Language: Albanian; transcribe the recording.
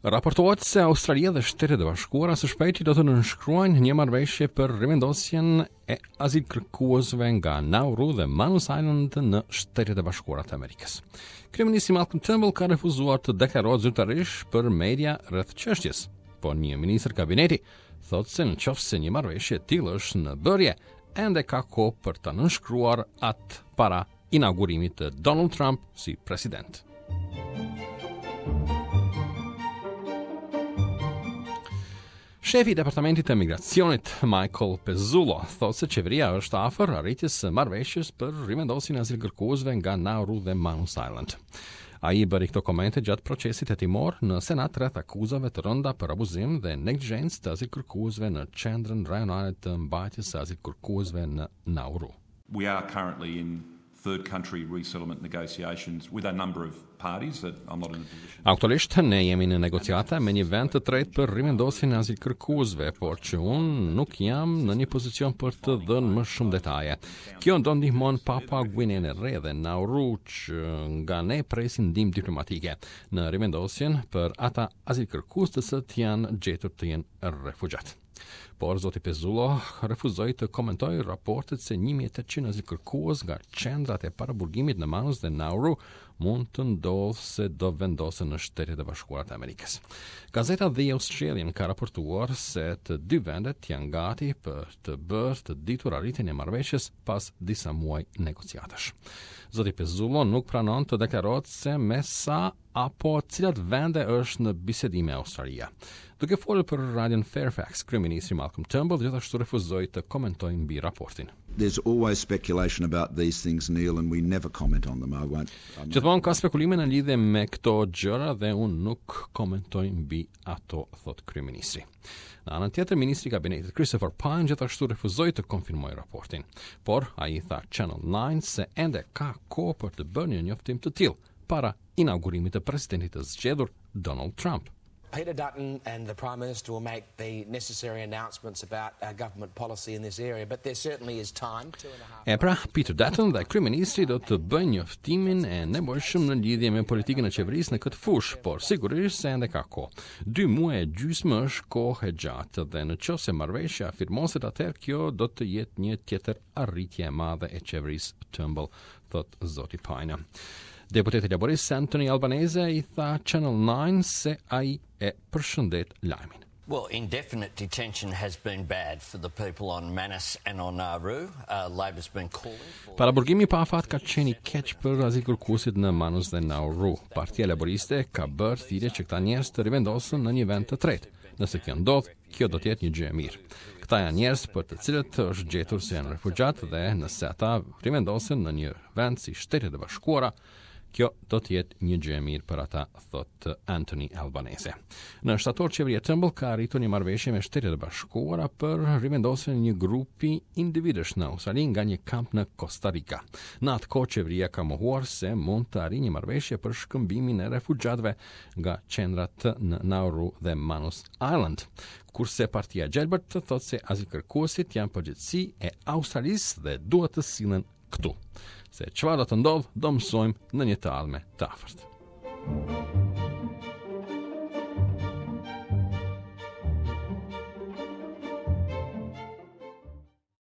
Raportohet se Australia dhe Shtetet e Bashkuara së shpejti do të nënshkruajnë një marrëveshje për rimendosjen e azilkërkuesve nga Nauru dhe Manus Island në Shtetet e Bashkuara të Amerikës. Kryeministri Malcolm Turnbull ka refuzuar të deklarohet zyrtarisht për media rreth çështjes, por një ministër kabineti thotë se në qoftë se një marrëveshje e tillë është në bërje, ende ka kohë për ta nënshkruar atë para inaugurimit të Donald Trump si president. Shefi i Departamentit të Migracionit, Michael Pezzullo, thotë se qeveria është afër arritjes së marrëveshjes për rimendosjen e azilkërkuesve nga Nauru dhe Manus Island. Ai i bëri këto komente gjatë procesit hetimor në Senat rreth akuzave të rënda për abuzim dhe neglizhencë të azilkërkuesve në qendrën rajonale të mbajtjes së azilkërkuesve në Nauru. We are currently in third country resettlement negotiations with a number of parties that I'm not in a position. Aktualisht ne jemi në negociata me një vend të tretë për rimendosjen e azilkërkuesve, por që unë nuk jam në një pozicion për të dhënë më shumë detaje. Kjo do ndihmon Papua Guinenë e Re dhe Nauru që nga ne presin ndihmë diplomatike në rimendosjen për ata azilkërkues të cilët janë gjetur të jenë refugjatë. Por zoti Pezzullo refuzoi të komentojë raportet se 1800 azilkërkues nga qendrat e paraburgimit në Manus dhe Nauru mund të ndodhë se do vendosen në Shtetet e Bashkuara të Amerikës. Gazeta The Australian ka raportuar se të dy vendet janë gati për të bërë të ditur arritjen e marrëveshjes pas disa muaj negociatash. Zoti Pezzullo nuk pranon të deklarohet se me sa apo cilat vende është në bisedime Australia. Duke folur për radion Fairfax, kryeministri Malcolm Turnbull gjithashtu refuzoi të komentojë mbi raportin. There's always speculation about these things, Neil, and we never comment on them. I won't. Gjithmonë ka spekulime në lidhje me këto gjëra dhe unë nuk komentoj mbi ato, thotë kryeministri. Në anën tjetër, ministri i kabinetit Christopher Pyne gjithashtu refuzoi të konfirmojë raportin, por ai i tha Channel 9 se ende ka kohë për të bërë një njoftim të tillë para inaugurimit të presidentit të zgjedhur Donald Trump. Peter Dutton and the Prime Minister will make the necessary announcements about our government policy in this area, but there certainly is time. E pra, Peter Dutton dhe kryeministri do të bëjnë njoftimin e nevojshëm në lidhje me politikën e qeverisë në këtë fushë, por sigurisht se ende ka kohë. Dy muaj e gjysmë është kohë e gjatë dhe në qoftë se marrëveshja firmoset atëherë kjo do të jetë një tjetër arritje e madhe e qeverisë Turnbull thotë zoti Pyne. Deputeti laborist Anthony Albanese i tha Channel 9 se ai e përshëndet lajmin. Well, indefinite detention has been bad for the people on Manus and on Nauru. Uh, Labor's been calling for Paraburgimi pa afat ka qenë i keq për azilkërkuesit në Manus dhe Nauru. Partia Laboriste ka bërë thirrje që këta njerëz të rivendosen në një vend të tretë. Nëse kjo ndodh, Kjo do të jetë një gjë e mirë. Këta janë njerëz për të cilët është gjetur se janë refugjatë dhe nëse ata rivendosen në një vend si Shtetet e Bashkuara, kjo do të jetë një gjë e mirë për ata, thotë Anthony Albanese. Në shtator qeveria Turnbull ka arritur një marrëveshje me Shtetet e Bashkuara për rivendosjen e një grupi individësh në Australi nga një kamp në Costa Rica. Në atë kohë qeveria ka mohuar se mund të arrijë një marrëveshje për shkëmbimin e refugjatëve nga qendrat në Nauru dhe Manus Island. Kurse Partia e Gjelbërt thotë se azilkërkuesit janë përgjegjësi e Australisë dhe duhet të sillen këtu. Se çfarë do të ndodhë, do mësojmë në një të ardhme të afërt.